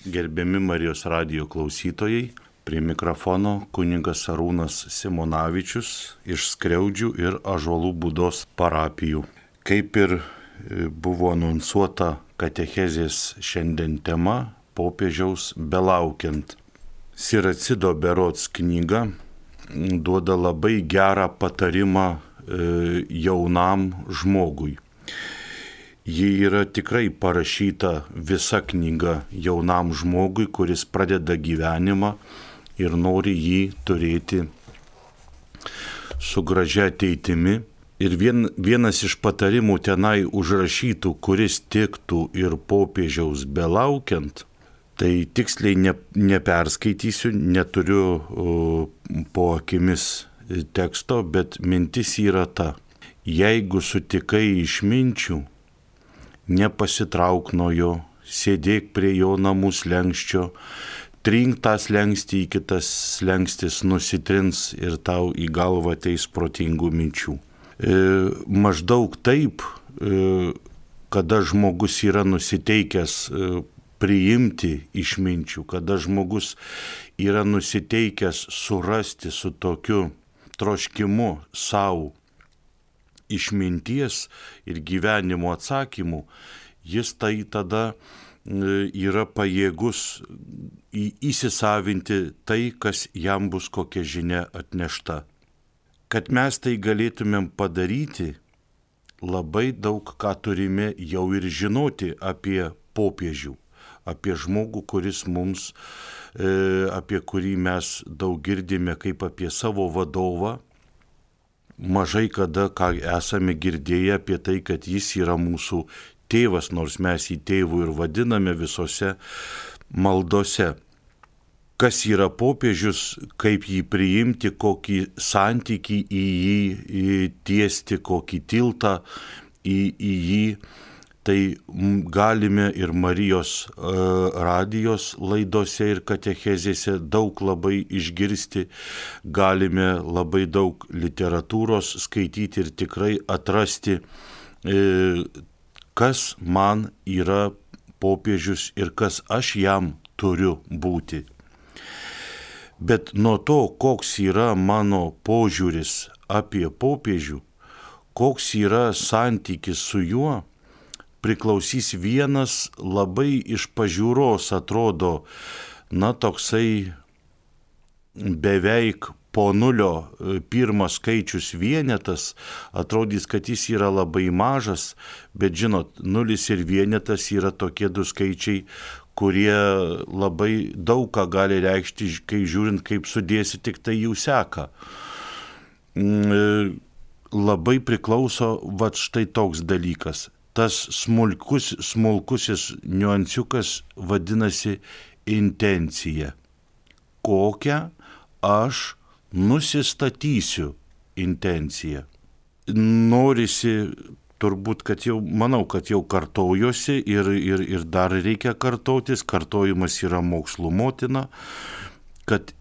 Gerbiami Marijos radijo klausytojai, prie mikrofono kunigas Arūnas Simonavičius iš Skriaudžių ir Ąžuolų Būdos parapijų. Kaip ir buvo anonsuota katechezės šiandien tema, popiežiaus belaukiant. Siracido berods knyga duoda labai gerą patarimą jaunam žmogui. Ji yra tikrai parašyta visa knyga jaunam žmogui, kuris pradeda gyvenimą ir nori jį turėti su gražia ateitimi. Ir vienas iš patarimų tenai užrašytų, kuris tiktų ir popiežiaus belaukiant, tai tiksliai neperskaitysiu, neturiu po akimis teksto, bet mintis yra ta: jeigu sutikai išminčių, nepasitrauk nuo jo, sėdėk prie jo namų slenksčio, trink tą slenkstį, į kitas slengstis nusitrins ir tau į galvą ateis protingų minčių. Maždaug taip, kada žmogus yra nusiteikęs priimti išminčių, kada žmogus yra nusiteikęs surasti su tokiu troškimu savo išminties ir gyvenimo atsakymų, jis tai tada yra pajėgus įsisavinti tai, kas jam bus kokia žinia atnešta. Kad mes tai galėtumėm padaryti, labai daug ką turime jau ir žinoti apie popiežių, apie žmogų, kuris mums, apie kurį mes daug girdime kaip apie savo vadovą. Mažai kada ką esame girdėję apie tai, kad jis yra mūsų tėvas, nors mes jį tėvu ir vadiname visose maldose. Kas yra popiežius, kaip jį priimti, kokį santykį į jį tiesti, kokį tiltą į jį, tai galime ir Marijos radijos laidose ir katechezėse daug labai išgirsti, galime labai daug literatūros skaityti ir tikrai atrasti, kas man yra popiežius ir kas aš jam turiu būti. Bet nuo to, koks yra mano požiūris apie popiežių, koks yra santykis su juo, priklausys vienas labai iš pažiūros atrodo, toksai beveik po nulio pirmas skaičius vienetas, atrodys, kad jis yra labai mažas, bet žinot, nulis ir vienetas yra tokie du skaičiai, kurie labai daug ką gali reikšti, kai žiūrint, kaip sudėsi, tik tai jų seka. Labai priklauso štai toks dalykas. Tas smulkusis niuansiukas vadinasi intencija. Kokią aš nusistatysiu intenciją. Norisi turbūt, manau, kad jau kartojuosi ir dar reikia kartotis, kartojimas yra mokslų motina, kad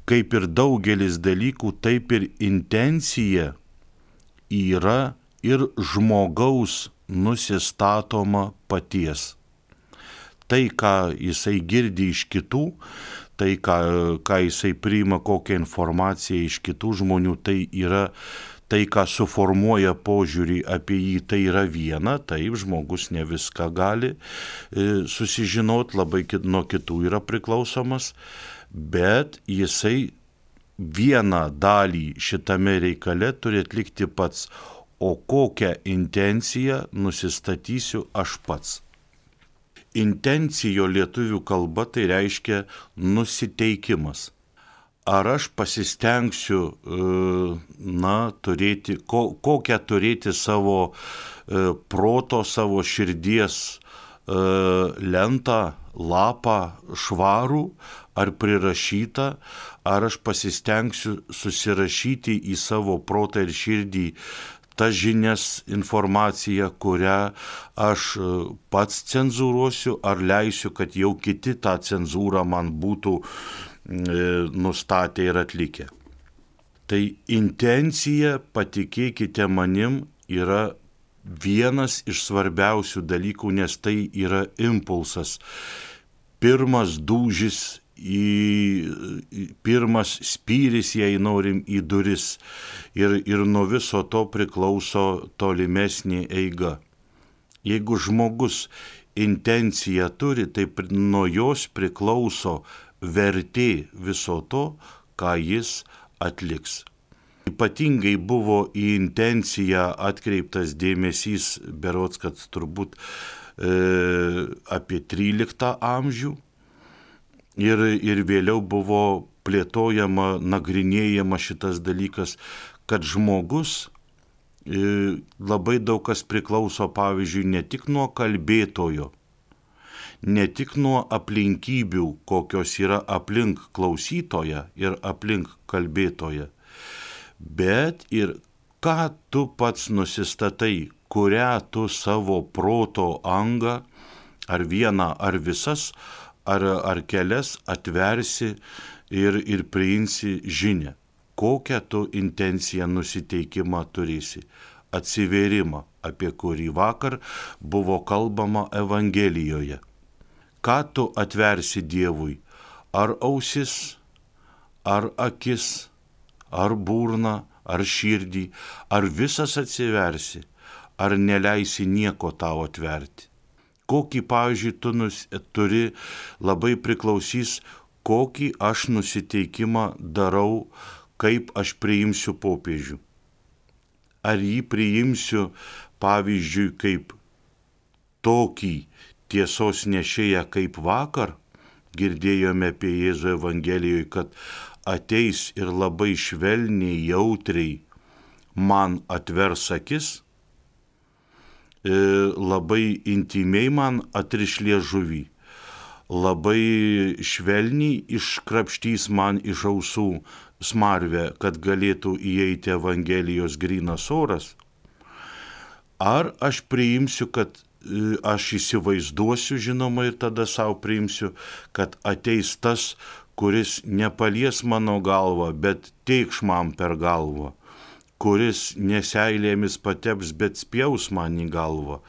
kaip ir daugelis dalykų, taip ir intencija yra ir žmogaus nusistatoma paties. Tai, ką jisai girdi iš kitų, tai, ką jisai priima, kokią informaciją iš kitų žmonių, tai yra tai, ką suformuoja požiūrį apie jį, tai yra viena, taip, žmogus ne viską gali susižinot, labai nuo kitų yra priklausomas, bet jisai vieną dalį šitame reikale turi atlikti pats. O kokią intenciją nusistatysiu aš pats. Intencijo lietuvių kalba tai reiškia nusiteikimas. Ar aš pasistengsiu turėti, kokią turėti savo proto, savo širdies lentą, lapą švarų ar prirašytą, ar aš pasistengsiu susirašyti į savo protą ir širdį tas žinias, informaciją, kurią aš pats cenzūruosiu, ar leisiu, kad jau kiti tą cenzūrą man būtų nustatę ir atlikę. Tai intencija, patikėkite manim, yra vienas iš svarbiausių dalykų, nes tai yra impulsas. pirmas dūžis, pirmas spyris, jei norim, į duris. Ir nuo viso to priklauso tolimesnė eiga. Jeigu žmogus intenciją turi, tai nuo jos priklauso vertė viso to, ką jis atliks. Ypatingai buvo į intenciją atkreiptas dėmesys, berods, kad turbūt apie 13 amžių ir vėliau buvo plėtojama, nagrinėjama šitas dalykas, kad žmogus labai daug kas priklauso, pavyzdžiui, ne tik nuo kalbėtojo, ne tik nuo aplinkybių, kokios yra aplink klausytoją ir aplink kalbėtoją, bet ir ką tu pats nusistatai, kurią tu savo proto angą, ar vieną, ar visas, ar kelias atversi ir priimsi žinią. Kokią tu intenciją nusiteikimą turėsi, atsivėrimą, apie kurį vakar buvo kalbama Evangelijoje. Ką tu atversi Dievui, ar ausis, ar akis, ar burną, ar širdį, ar visas atsiversi, ar neleisi nieko tau atverti. Kokį, pavyzdžiui, tu turi, labai priklausys, kokį aš nusiteikimą darau, kaip aš priimsiu popiežių. Ar jį priimsiu, pavyzdžiui, kaip tokį tiesos nešėją kaip vakar, girdėjome apie Jėzų Evangelijoje, kad ateis ir labai švelniai, jautriai man atvers akis, labai intimiai man atriš liežuvį, labai švelniai iškrapštys man iš ausų smarvę, kad galėtų įeiti Evangelijos grynas oras. Ar aš priimsiu, kad aš įsivaizduosiu, žinoma, ir tada savo priimsiu, kad ateis tas, kuris nepalies mano galvą, bet teikš man per galvą, kuris neseilėmis pateps, bet spjaus man į galvą,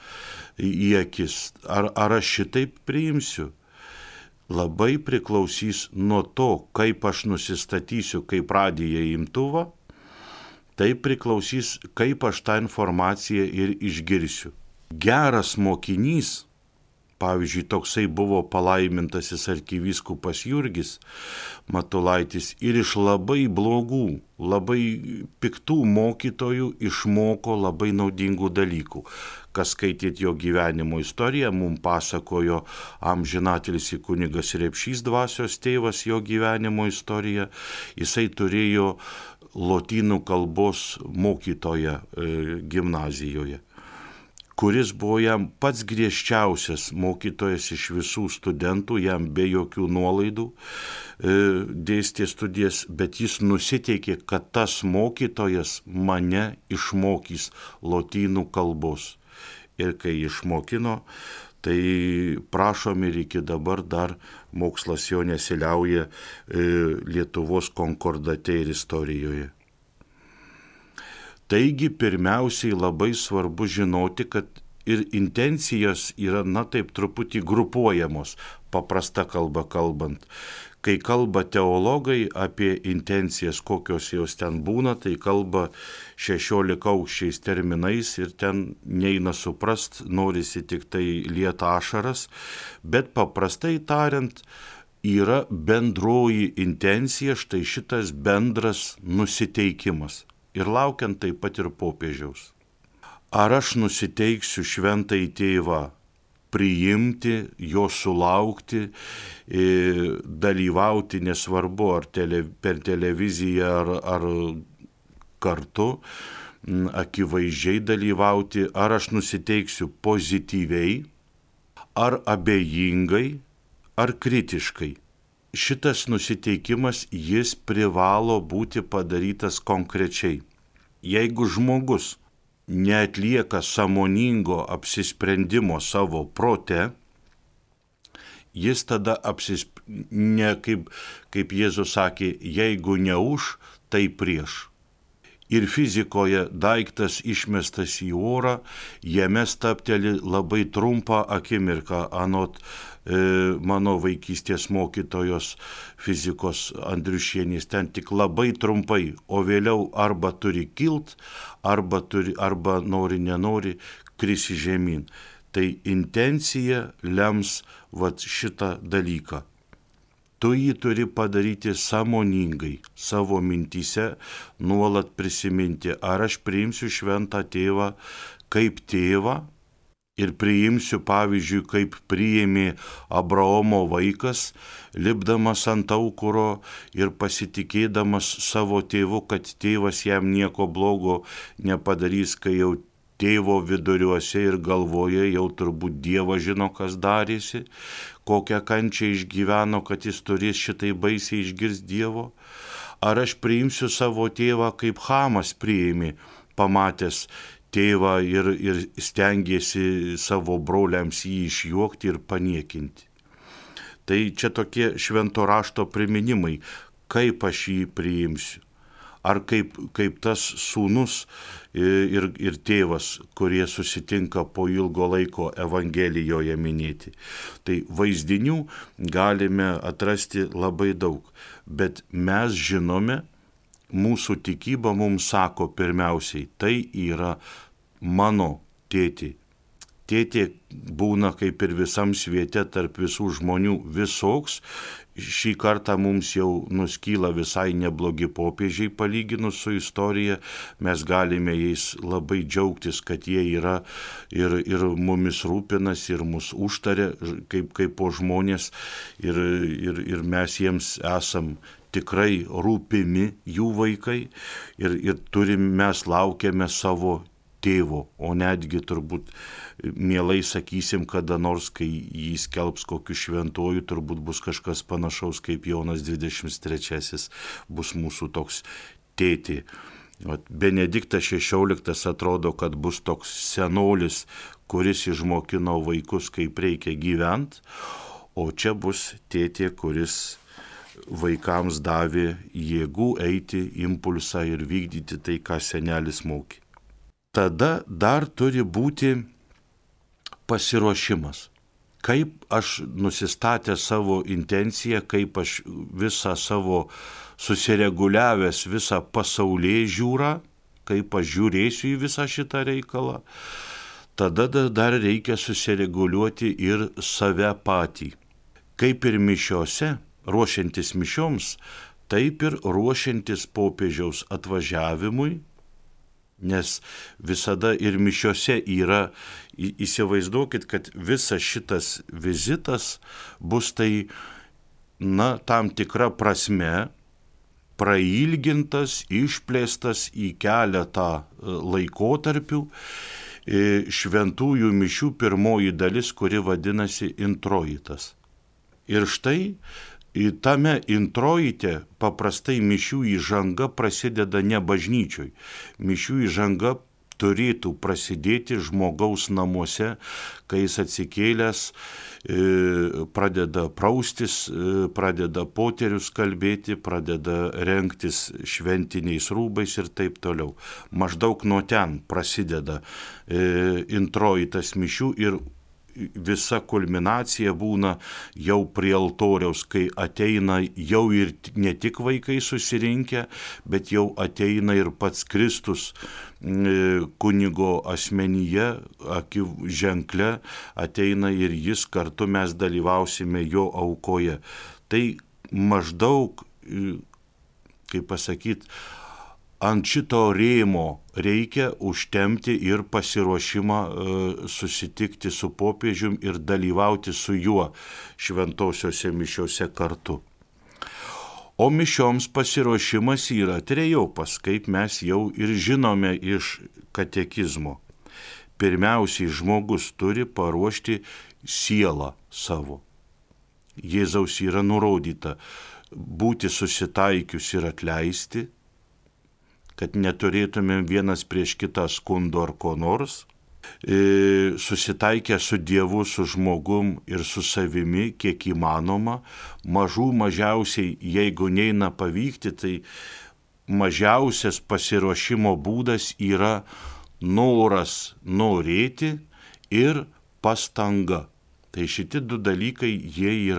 į akis. Ar aš šitaip priimsiu? Labai priklausys nuo to, kaip aš nusistatysiu kaip radijo imtuvą, tai priklausys, kaip aš tą informaciją ir išgirsiu. Geras mokinys, pavyzdžiui, toksai buvo palaimintasis arkivyskupas Jurgis Matulaitis, ir iš labai blogų, labai piktų mokytojų išmoko labai naudingų dalykų. Kas skaitėt jo gyvenimo istoriją, mums pasakojo amžinatilsį kunigas Repšys, dvasios tėvas, jo gyvenimo istoriją. Jisai turėjo lotynų kalbos mokytoją gimnazijoje, kuris buvo jam pats griežčiausias mokytojas iš visų studentų, jam be jokių nuolaidų dėstė studijas, bet jis nusiteikė, kad tas mokytojas mane išmokys lotynų kalbos. Ir kai išmokino, tai prašom, ir iki dabar dar mokslas jo nesiliauja Lietuvos konkordate ir istorijoje. Taigi pirmiausiai labai svarbu žinoti, kad ir intencijos yra, taip truputį grupuojamos, paprasta kalba kalbant. Kai kalba teologai apie intencijas, kokios jos ten būna, tai kalba 16 aukščiais terminais ir ten neina suprast, norisi tik tai lieta ašaras, bet paprastai tariant yra bendroji intencija, štai šitas bendras nusiteikimas. Ir laukiant taip pat ir popiežiaus. Ar aš nusiteiksiu šventąjį tėvą priimti, jo sulaukti, dalyvauti, nesvarbu ar per televiziją ar kartu, akivaizdžiai dalyvauti, ar aš nusiteiksiu pozityviai, ar abejingai, ar kritiškai. Šitas nusiteikimas, jis privalo būti padarytas konkrečiai. Jeigu žmogus neatlieka sąmoningo apsisprendimo savo prote, jis tada ne kaip Jėzus sakė, jeigu ne už, tai prieš. Ir fizikoje daiktas išmestas į orą, jame stabteli labai trumpą akimirką, anot mano vaikystės mokytojos fizikos Andriušienės, ten tik labai trumpai, o vėliau arba turi kilt, arba nori nenori krisi žemyn. Tai intencija lems vat šitą dalyką. Tu jį turi padaryti sąmoningai, savo mintyse nuolat prisiminti, ar aš priimsiu šventą tėvą kaip tėvą ir priimsiu, pavyzdžiui, kaip priėmė Abraomo vaikas, lipdamas ant aukuro ir pasitikėdamas savo tėvu, kad tėvas jam nieko blogo nepadarys, kai jau tėvo viduriuose ir galvoje jau turbūt Dievas žino, kas darėsi, kokią kančią išgyveno, kad jis turės šitai baisiai išgirs Dievo. Ar aš priimsiu savo tėvą, kaip Chamas priėmė, pamatęs tėvą ir stengėsi savo broliams jį išjuokti ir paniekinti. Tai čia tokie švento rašto priminimai, kaip aš jį priimsiu. Ar kaip tas sūnus ir tėvas, kurie susitinka po ilgo laiko Evangelijoje minėti. Tai vaizdinių galime atrasti labai daug, bet mes žinome, mūsų tikyba mums sako pirmiausiai, tai yra mano tėtė. Tėtė būna kaip ir visam sviete tarp visų žmonių visoks. Šį kartą mums jau nuskyla visai neblogi popiežiai palyginus su istorija. Mes galime jais labai džiaugtis, kad jie yra ir mumis rūpinasi, ir mus užtaria kaip po žmonės. Ir mes jiems esam tikrai rūpimi jų vaikai. Ir mes laukiame savo tėvo, o netgi turbūt mielai sakysim, kada nors, kai jį skelbs kokiu šventuoju, turbūt bus kažkas panašaus kaip Jonas 23 bus mūsų toks tėtė. Benediktas XVI atrodo, kad bus toks senolis, kuris išmokino vaikus, kaip reikia gyventi, o čia bus tėtė, kuris vaikams davė jėgų eiti, impulsą ir vykdyti tai, ką senelis mokė. Tada dar turi būti pasiruošimas. Kaip aš nusistatęs savo intenciją, kaip aš visą savo susireguliavęs visą pasaulėžiūrą, kaip aš žiūrėsiu į visą šitą reikalą, tada dar reikia susireguliuoti ir save patį. Kaip ir mišiose, ruošiantis mišioms, taip ir ruošiantis popiežiaus atvažiavimui, nes visada ir mišiose yra, įsivaizduokit, kad visas šitas vizitas bus tai, tam tikra prasme prailgintas, išplėstas į keletą laikotarpių šventųjų mišių pirmoji dalis, kuri vadinasi introitas. Ir štai tame introite paprastai mišių įžanga prasideda ne bažnyčioj. Mišių įžanga turėtų prasidėti žmogaus namuose, kai jis atsikėlęs pradeda praustis, pradeda poterius kalbėti, pradeda rengtis šventiniais rūbais ir taip toliau. Maždaug nuo ten prasideda introitas mišių ir visa kulminacija būna jau prie altoriaus, kai ateina jau ir ne tik vaikai susirinkę, bet jau ateina ir pats Kristus kunigo asmenyje, ženkle, ateina ir jis, kartu mes dalyvausime jo aukoje. Tai maždaug, kaip pasakyti, ant šito rėmo reikia užtempti ir pasiruošimą susitikti su popiežium ir dalyvauti su juo šventosiuose mišiuose kartu. O mišioms pasiruošimas yra trejopas, kaip mes jau ir žinome iš katekizmo. Pirmiausiai žmogus turi paruošti sielą savo. Jėzaus yra nurodyta būti susitaikius ir atleisti, kad neturėtumėm vienas prieš kitą skundo ar ko nors, susitaikę su Dievu, su žmogum ir su savimi, kiek įmanoma, mažiausiai, jeigu neina pavykti, tai mažiausias pasiruošimo būdas yra noras norėti ir pastanga. Tai šitie du dalykai, jie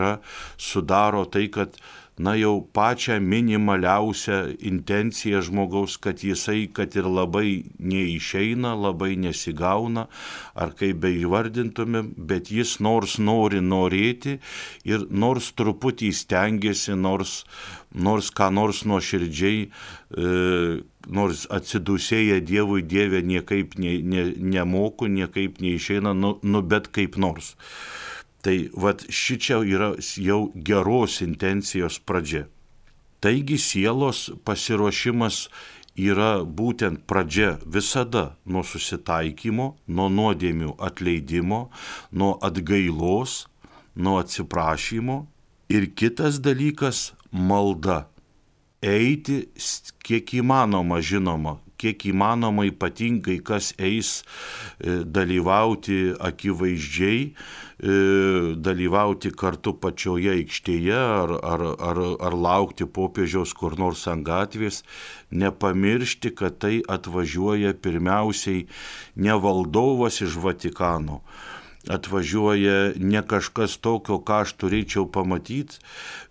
sudaro tai, kad jau pačią minimaliausią intenciją žmogaus, kad jisai, kad ir labai neišeina, labai nesigauna, ar kaip beįvardintumėm, bet jis nors nori norėti ir nors truputį stengiasi, nors ką nors nuoširdžiai, nors atsidūsėję Dievui, Dieve niekaip nemoku, niekaip neišeina, bet kaip nors. Tai šičia yra jau geros intencijos pradžia. Taigi sielos pasiruošimas yra būtent pradžia visada nuo susitaikymo, nuo nuodėmių atleidimo, nuo atgailos, nuo atsiprašymo. Ir kitas dalykas - malda. Eiti kiek įmanoma, žinoma, kiek įmanoma ypatingai, kas eis dalyvauti akivaizdžiai, dalyvauti kartu pačioje aikštėje ar laukti popiežiaus kur nors ant gatvės, nepamiršti, kad tai atvažiuoja pirmiausiai ne valdovas iš Vatikano, atvažiuoja ne kažkas tokio, ką aš turėčiau pamatyti,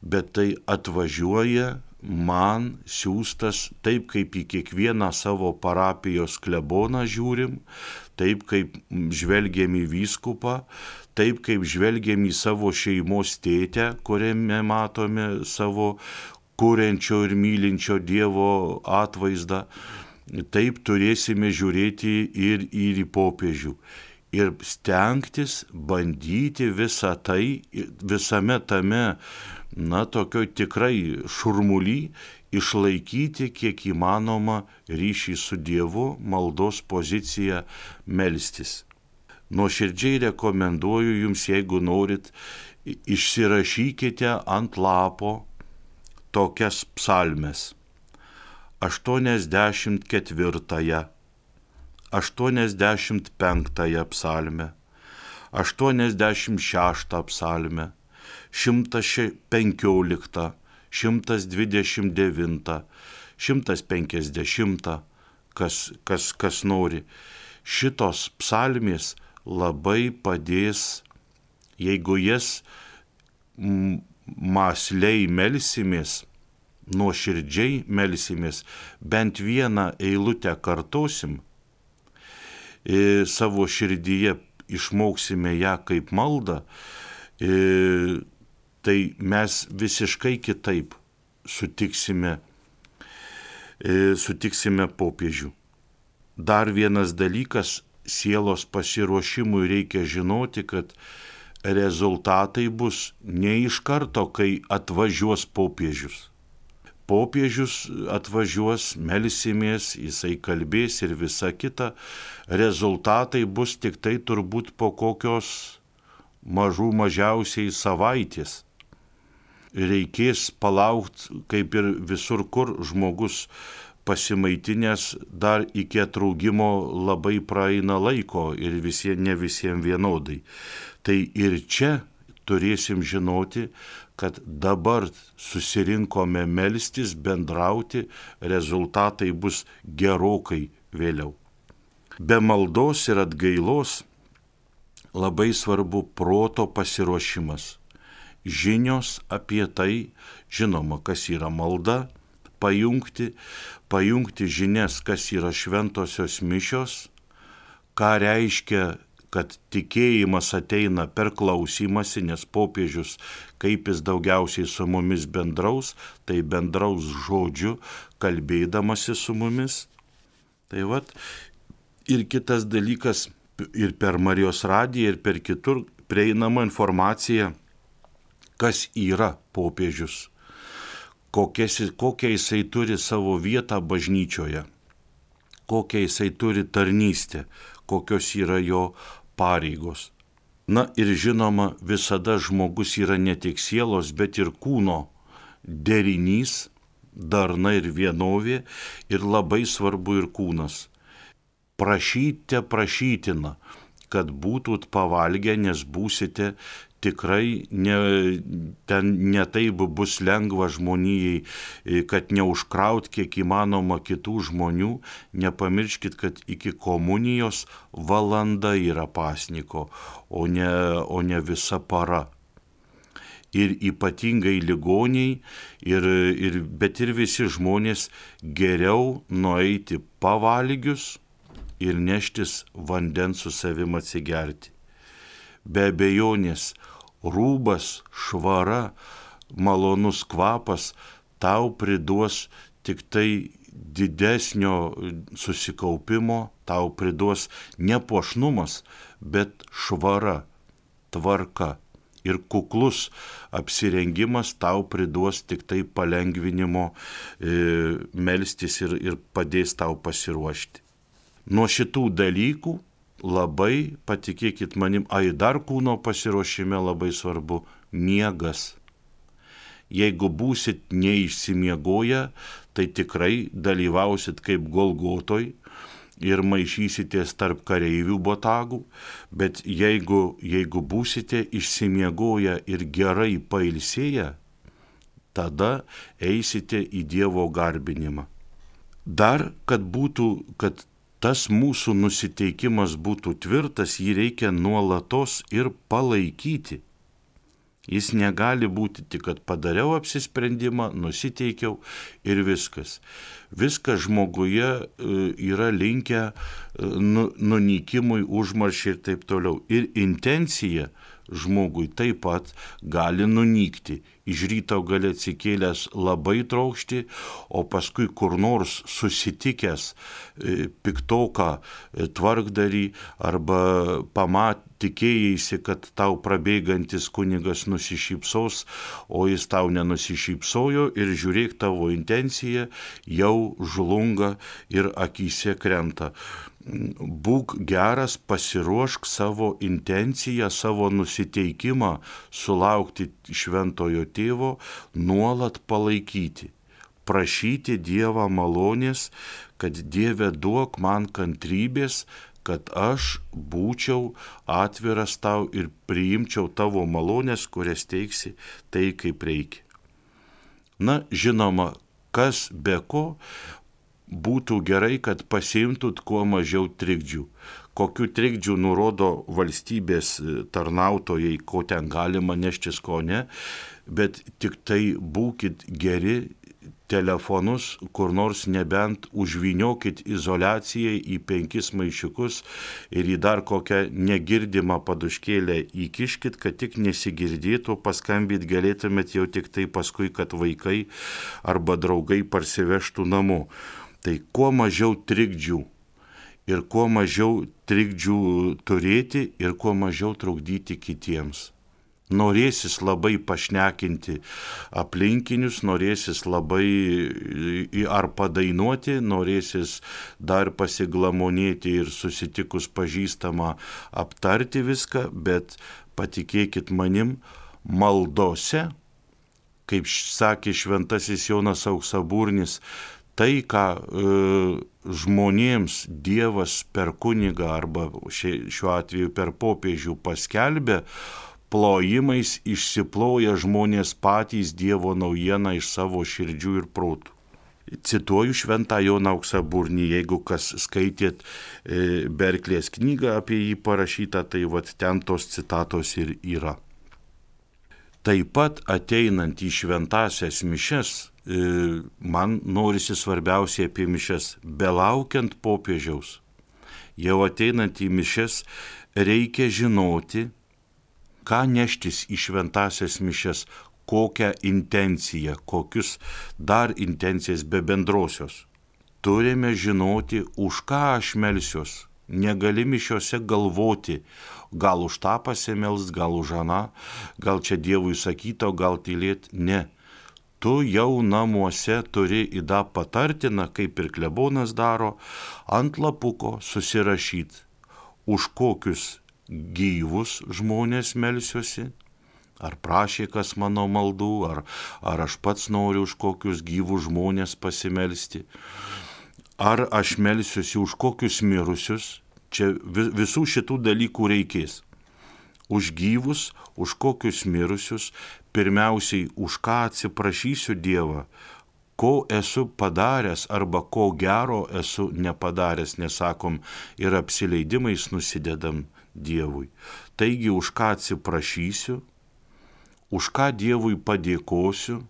bet tai atvažiuoja man siųstas, taip kaip į kiekvieną savo parapijos kleboną žiūrim, taip kaip žvelgiam į vyskupą, taip kaip žvelgiam į savo šeimos tėtę, kuriame matome savo kuriančio ir mylinčio Dievo atvaizdą, taip turėsime žiūrėti ir į popiežių. Ir stengtis, bandyti visą tai, visame tame, tokioj tikrai šurmuly, išlaikyti kiek įmanoma ryšį su Dievu, maldos poziciją melstis. Nuoširdžiai rekomenduoju jums, jeigu norit, išsirašykite ant lapo tokias psalmes. 84, 85 psalmę, 86 psalmę, 115, 129, 150, kas nori. Šitos psalmės labai padės, jeigu jas mąsliai melsimės, nuoširdžiai melsimės, bent vieną eilutę kartosim, savo širdyje išmoksime ją kaip maldą, tai mes visiškai kitaip sutiksime popiežių. Dar vienas dalykas, sielos pasiruošimui reikia žinoti, kad rezultatai bus ne iš karto, kai atvažiuos popiežius. Popiežius atvažiuos, melsimės, jisai kalbės ir visa kita. Rezultatai bus tik tai turbūt po kokios mažiausiai savaitės. Reikės palaukti, kaip ir visur, kur žmogus pasimaitinęs, dar iki atraugimo labai praeina laiko ir ne visiems vienodai. Tai ir čia turėsim žinoti, kad dabar susirinkome melstis, bendrauti, rezultatai bus gerokai vėliau. Be maldos ir atgailos labai svarbu proto pasiruošimas. Žinios apie tai, žinoma, kas yra malda, pajungti žinias, kas yra šventosios mišios, ką reiškia, kad tikėjimas ateina per klausymąsi, nes popiežius, kaip jis daugiausiai su mumis bendraus, tai bendraus žodžiu, kalbėdamasi su mumis. Tai ir kitas dalykas, ir per Marijos radiją, ir per kitur prieinama informacija, kas yra popiežius, kokią jisai turi savo vietą bažnyčioje, kokią jisai turi tarnystę, kokios yra jo pareigos. Ir žinoma, visada žmogus yra ne tik sielos, bet ir kūno derinys, darna ir vienovė, ir labai svarbu ir kūnas. Prašyte prašytina, kad būtut pavalgę, nes būsite tikrai ten netaip bus lengva žmonijai, kad neužkraut kiek įmanoma kitų žmonių. Nepamirškit, kad iki komunijos valanda yra pasniko, o ne visa para. Ir ypatingai ligoniai, bet ir visi žmonės geriau nueiti pavalgius ir neštis vandens su savim atsigerti. Be abejonės, rūbas, švara, malonus kvapas tau priduos tik tai didesnio susikaupimo, tau priduos ne puošnumas, bet švara, tvarka. Ir kuklus apsirengimas tau priduos tik tai palengvinimo melstis ir padės tau pasiruošti. Nuo šitų dalykų labai, patikėkit manim, dar kūno pasiruošime labai svarbu miegas. Jeigu būsit neišsimiegoję, tai tikrai dalyvausit kaip Golgotoj ir maišysitės tarp kareivių botagų, bet jeigu būsite išsimiegoję ir gerai pailsėję, tada eisite į Dievo garbinimą. Dar, kad tas mūsų nusiteikimas būtų tvirtas, jį reikia nuolatos ir palaikyti. Jis negali būti tik, kad padariau apsisprendimą, nusiteikiau ir viskas. Viskas žmoguje yra linkę nunykimui, užmaršiai ir taip toliau. Ir intencija žmogui taip pat gali nunykti. Iš ryto gali atsikėlęs labai trokšti, o paskui kur nors susitikęs piktoką tvarkdarį arba tikėjaisi, kad tau prabėgantis kunigas nusišypsos, o jis tau nenusišypsojo ir žiūrėk, tavo intencija jau žlunga ir akyse krenta. Būk geras, pasiruošk savo intenciją, savo nusiteikimą sulaukti šventojo tėvo, nuolat palaikyti, prašyti Dievą malonės, kad Dieve duok man kantrybės, kad aš būčiau atviras tau ir priimčiau tavo malonės, kurias teiksi tai, kaip reikia. Na, žinoma, kas be ko, būtų gerai, kad pasiimtut kuo mažiau trikdžių. Kokių trikdžių nurodo valstybės tarnautojai, ko ten galima neštis, ko ne, bet tik tai būkit geri, telefonus kur nors nebent užvyniokit izoliacijai į 5 maišiukus ir į dar kokią negirdimą paduškėlę įkiškit, kad tik nesigirdėtų, paskambit galėtumėt jau tik tai paskui, kad vaikai arba draugai parsivežtų namo. Tai kuo mažiau trikdžių ir kuo mažiau trikdžių turėti ir kuo mažiau trukdyti kitiems. Norėsis labai pašnekinti aplinkinius, norėsis labai ar padainuoti, norėsis dar pasiglamonėti ir susitikus pažįstamą aptarti viską, bet patikėkit manim, maldose, kaip sakė šventasis Jonas Auksaburnis, tai, ką žmonėms Dievas per kunigą arba šiuo atveju per popiežių paskelbė, plojimais išsiploja žmonės patys Dievo naujieną iš savo širdžių ir protų. Cituoju šventą Joną Auksaburnį, jeigu kas skaitėt Berklės knygą apie jį parašytą, tai vat ten tos citatos ir yra. Taip pat ateinant į šventąsias mišias, man norisi svarbiausiai apie mišias, belaukiant popiežiaus. Jau ateinant į mišias reikia žinoti, ką neštis į šventąsias mišias, kokią intenciją, kokius dar intencijas be bendrosios. Turime žinoti, už ką aš melsiuos. Negali mišiose galvoti, gal už tą pasimelst, gal už aną, gal čia Dievui sakyta, gal tylėt. Ne. Tu jau namuose turi įdą patartiną, kaip ir klebonas daro, ant lapuko susirašyti, už kokius gyvus žmonės melsiuosi, ar prašė kas mano maldų, ar aš pats noriu už kokius gyvus žmonės pasimelsti, ar aš melsiuosi už kokius mirusius, čia visų šitų dalykų reikės. už gyvus, už kokius mirusius, pirmiausiai už ką atsiprašysiu Dievą, ko esu padaręs arba ko gero esu nepadaręs, nesakom ir apsileidimais nusidedam Dievui. Taigi už ką atsiprašysiu, už ką Dievui padėkosiu.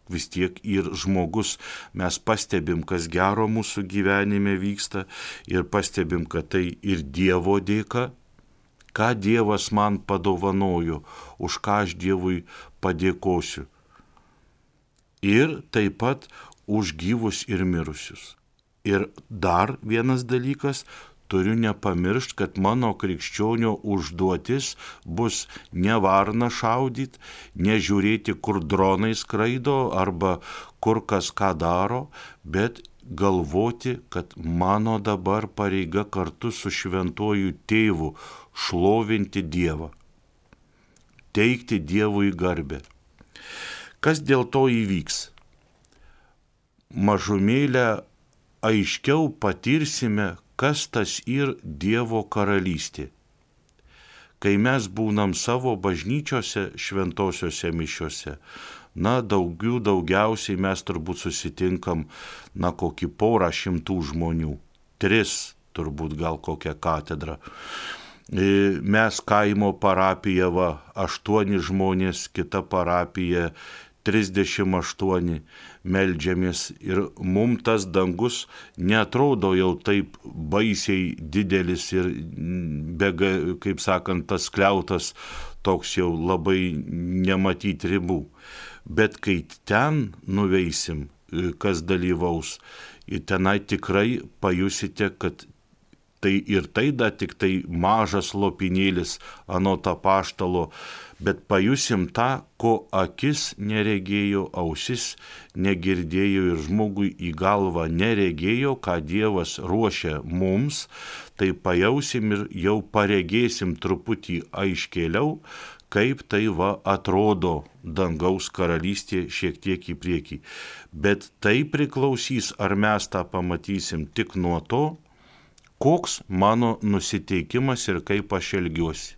Vis tiek ir žmogus, mes pastebim, kas gero mūsų gyvenime vyksta ir pastebim, kad tai ir Dievo dėka, ką Dievas man padovanojo, už ką aš Dievui padėkosiu. Ir taip pat už gyvus ir mirusius. Ir dar vienas dalykas, turiu nepamiršti, kad mano krikščionio užduotis bus ne varną šaudyti, nežiūrėti, kur dronai skraido arba kur kas ką daro, bet galvoti, kad mano dabar pareiga kartu su šventuoju tėvu šlovinti Dievą, teikti Dievui garbę. Kas dėl to įvyks? Mažumėlę aiškiau patirsime, kas tas ir Dievo karalystė. Kai mes būnam savo bažnyčiose, šventosiuose mišiuose, daugiausiai mes turbūt susitinkam, kokį 100 žmonių, 3 turbūt gal kokią katedrą. Mes kaimo parapija 8 žmonės, kita parapija 38 meldžiamės ir mums tas dangus neatrodo jau taip baisiai didelis ir kaip sakant, tas skliautas toks jau labai nematyti ribų. Bet kai ten nuveisim, kas dalyvaus, ir tenai tikrai pajusite, kad tai ir tai da tik tai mažas lopinėlis anot apaštalo, bet pajusim tą, ko akis neregėjo, ausis negirdėjo ir žmogui į galvą neregėjo, ką Dievas ruošia mums, tai pajausim ir jau paregėsim truputį aiškėliau, kaip tai atrodo dangaus karalystė šiek tiek į priekį. Bet tai priklausys, ar mes tą pamatysim tik nuo to, koks mano nusiteikimas ir kaip aš elgiuosi.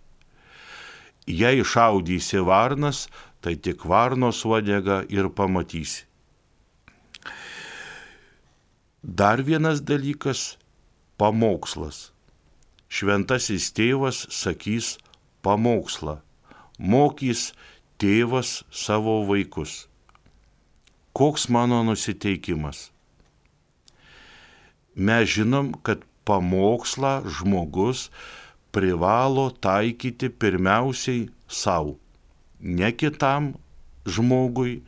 Jei šaudysi varnas, tai tik varnos uodegą ir pamatysi. Dar vienas dalykas – pamokslas. Šventasis tėvas sakys pamokslą. Mokys tėvas savo vaikus. Koks mano nusiteikimas? Mes žinom, kad pamokslą žmogus privalo taikyti pirmiausiai savo, ne kitam žmogui,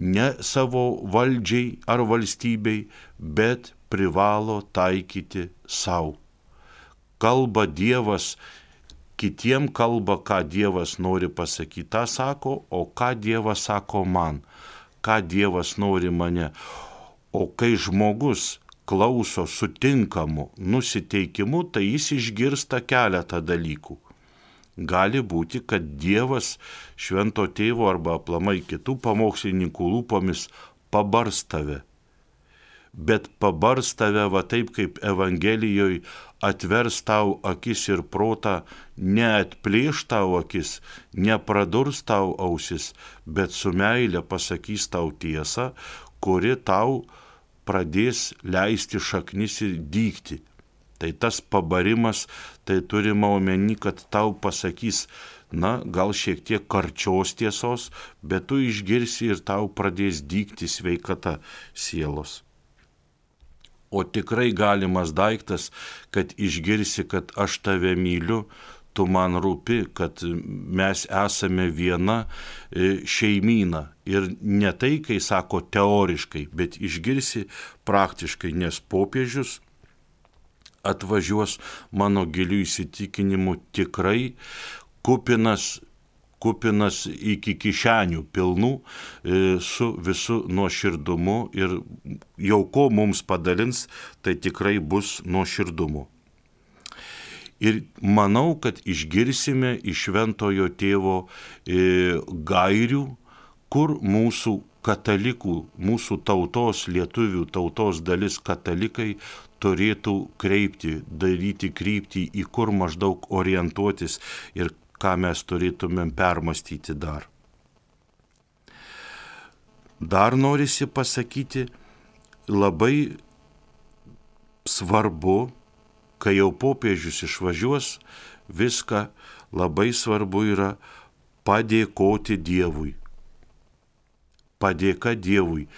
ne savo valdžiai ar valstybei, bet privalo taikyti savo. Kalba Dievas, kitiem kalba, ką Dievas nori pasakyti, tą sako, o ką Dievas sako man, ką Dievas nori mane. O kai žmogus klauso sutinkamu nusiteikimu, tai jis išgirsta keletą dalykų. Gali būti, kad Dievas švento tėvo arba aplamai kitų pamokslininkų lūpomis pabars tave. Bet pabars tave taip, kaip Evangelijoje atvers tau akis ir protą, neatplėš tau akis, nepradurs tau ausis, bet su meile pasakys tau tiesą, kuri tau pradės leisti šaknis ir dygti. Tai tas pabarimas, tai turima omeny, kad tau pasakys, gal šiek tiek karčios tiesos, bet tu išgirsi ir tau pradės dygti sveikata sielos. O tikrai galimas daiktas, kad išgirsi, kad aš tave myliu, tu man rūpi, kad mes esame viena šeimyna. Ir ne tai, kai sako teoriškai, bet išgirsi praktiškai, nes popiežius atvažiuos mano gilių įsitikinimų tikrai kupinas iki kišenių pilnų su visu nuoširdumu ir jau ko mums padalins, tai tikrai bus nuoširdumu. Ir manau, kad išgirsime iš šventojo tėvo gairių, kur mūsų katalikų, mūsų tautos, lietuvių tautos dalis katalikai turėtų daryti kryptį, į kur maždaug orientuotis ir ką mes turėtumėm permastyti dar. Dar norisi pasakyti, labai svarbu, kai jau popiežius išvažiuos, viską labai svarbu yra padėkoti Dievui. Padėka Dievui.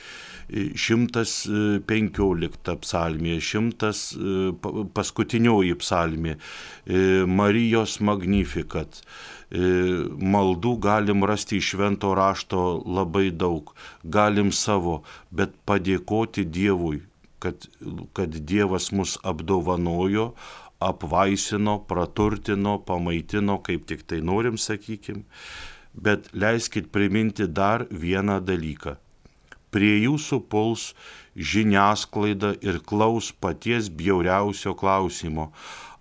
115 psalmė, 100 paskutinioji psalmė, Marijos Magnificat. Maldų galim rasti iš švento rašto labai daug, galim savo, bet padėkoti Dievui, kad Dievas mus apdovanojo, apvaisino, praturtino, pamaitino, kaip tik tai norim, sakykim. Bet leiskit priminti dar vieną dalyką. Prie jūsų puls žiniasklaida ir klaus paties bjauriausio klausimo.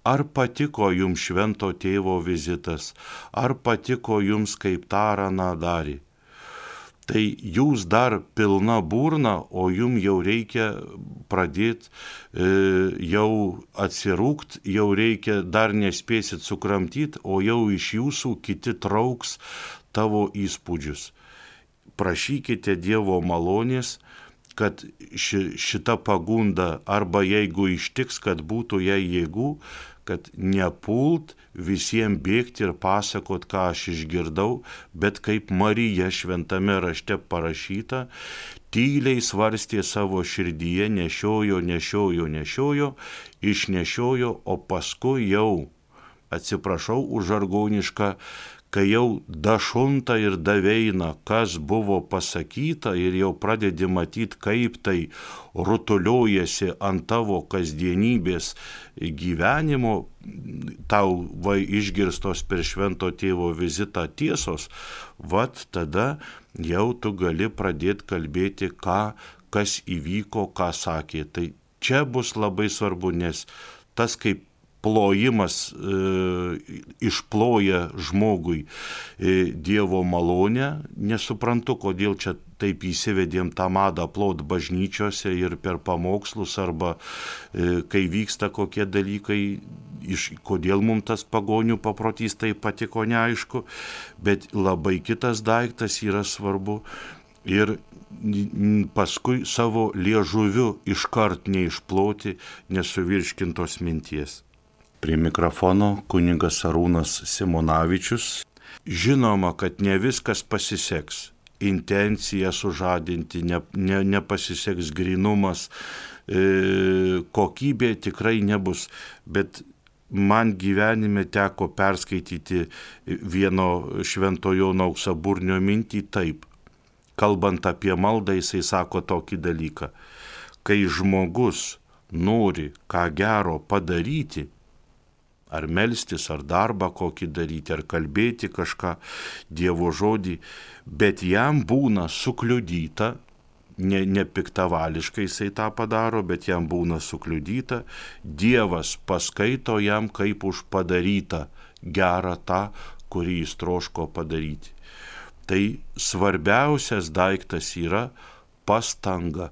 Ar patiko jums švento tėvo vizitas? Ar patiko jums, kaip tą ar aną darė? Tai jūs dar pilna burna, o jums jau reikia pradėti jau atsirūkt, jau reikia, dar nespėsit sukramtyti, o jau iš jūsų kiti trauks tavo įspūdžius. Prašykite Dievo malonės, kad šita pagunda, arba jeigu ištiks, kad būtų jai jėgų, kad nepult visiems bėgti ir pasakot, ką aš išgirdau, bet kaip Marija šventame rašte parašyta, tyliai svarstė savo širdyje, nešiojo, išnešiojo, o paskui jau, atsiprašau už žargonišką, kai jau dašunta ir daveina, kas buvo pasakyta ir jau pradedi matyti, kaip tai rutuliojasi ant tavo kasdienybės gyvenimo, tau išgirstos per švento tėvo vizitą tiesos, vat tada jau tu gali pradėti kalbėti, kas įvyko, ką sakė. Tai čia bus labai svarbu, nes tas kaip plojimas išploja žmogui Dievo malonę. Nesuprantu, kodėl čia taip įsivedėm tą madą plot bažnyčiose ir per pamokslus, arba kai vyksta kokie dalykai, kodėl mums tas pagonių paprotys tai patiko, neaišku, bet labai kitas daiktas yra svarbu. Ir paskui savo liežuviu iškart neišploti nesuvirškintos minties. Prie mikrofono kunigas Arūnas Simonavičius. Žinoma, kad ne viskas pasiseks. Intencija sužadinti, nepasiseks grynumas, kokybė tikrai nebus. Bet man gyvenime teko perskaityti vieno Švento Jono Auksaburnio mintį taip. Kalbant apie maldą, jisai sako tokį dalyką. Kai žmogus nori ką gero padaryti, ar melstis, ar darbą kokį daryti, ar kalbėti kažką, Dievo žodį, bet jam būna sukliudyta, ne piktavališkai jisai tą padaro, bet jam būna sukliudyta, Dievas paskaito jam kaip už padarytą gerą tą, kurį jis troško padaryti. Tai svarbiausias daiktas yra pastanga.